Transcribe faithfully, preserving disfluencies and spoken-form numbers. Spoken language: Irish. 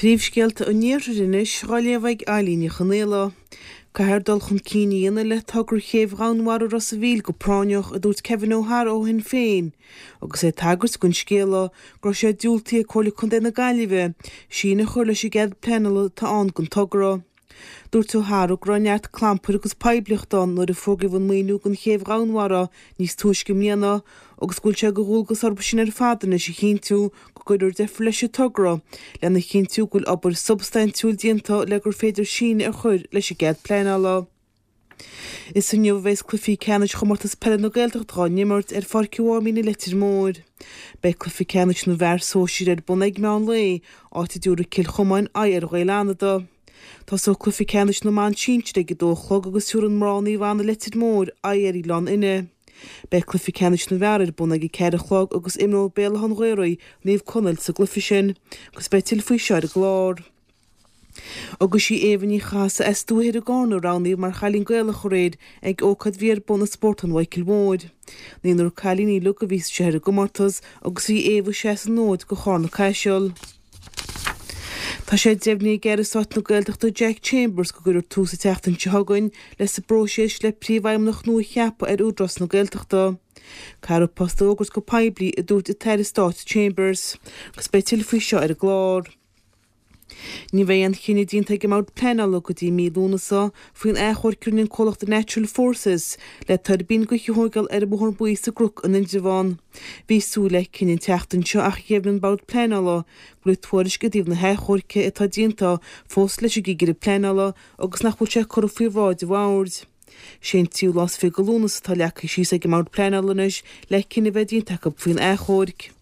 Príomhscéalta an Iarthair anois á léamh ag Eilín Ní Chonaola. Caithfear dul chun cinn a dhéanamh le togra chéibh Dhomhanmhara Ros an Mhíl go práinneach, a dúirt Kevin O'Hara ó Shinn Féin, agus é ag tagairt don scéala go raibh sé diúltaithe ag Comhairle Contae na Gaillimhe síneadh a chur leis an gcead pleanála atá ann don togra. Dúirt O'Hara go raibh neart clampair agus poiblíochta ann nuair a fógraíodh an maoiniú don chéibh Dhomhanmhara níos túisce i mbliana agus go bhfuil sé de dhualgas orthu sin ar fad anois a chinntiú go gcuirfear deifir leis an togra lena chinntiú go bhfuil obair shubstaintiúil déanta le gur féidir síneadh a chur leis an gcead pleanála. Is inniu a bheas cluichí ceannais Chomórtas Peile na Gaeltachta á n-imirt ar Pháirc an Mháimín i Leitir Móir. Beidh cluiche ceannais na bhfear sóisir ar bun ag meán lae, áit a dtabharfaidh Cill Chomáin aghaidh ar Ghaeil Fhánada. Tosóidh cluiche ceannais na mban sinsir ag a dó a chlog agus tabharfaidh mná Naomh Anna Leitir Móir aghaidh ar Oileán Fhinne. Beidh cluiche ceannais na bhfear ar bun ag a ceathair a chlog agus imreoidh Béal Átha an Ghaorthaidh, Naomh Conaill sa gcluiche sin agus beidh tuilleadh faoi seo ar an gclár. Agus í Éabha Ní Chathasaigh as Dúiche Thoir i gCarna a roghnaíodh mar Chailín Gaelach aréir ag ócáid a bhí ar bun i Spórtlann Mhichael Mhóir. Naonúr cailíní uilig a bhí istigh ar an gcomórtas agus bhí Éabha ag seasamh an fhóid do Charna Caiseal. Tá sé deimhnithe ag Aire Stáit na Gaeltachta Jack Chambers go gcuirfear tús an tseachtain seo chugainn leis an bpróiseas le príomhfheidhmeannach nua a cheapadh ar Údarás na Gaeltachta. Caithfear an post a fhógairt go poiblí, a dúirt an tAire Stáit Chambers, agus beidh tuilleadh faoi seo ar an gclár. Ní bheidh aon chinneadh déanta ag an mBord Pleanála go dtí mí Lúnasa faoin achomharc a rinne an comhlacht Natural Forces le tuirbín gaoithe a thógáil ar an mBóthar Buí sa gCnoc in Indreabhán. Bhí súil le cinneadh an tseachtain seo ach dheimhnigh an Bord Pleanála go bhfuil tuairisc i dtaobh na hachomhairce atá déanta fós leis an gCigire Pleanála agus nach bhfuil sé curtha faoi bhráid an Bhoird. Sé an tríú lá is fiche de Lúnasa atá leagtha síos ag an mBord Pleanála anois le cinneadh a bheith déanta acu faoin achomharc.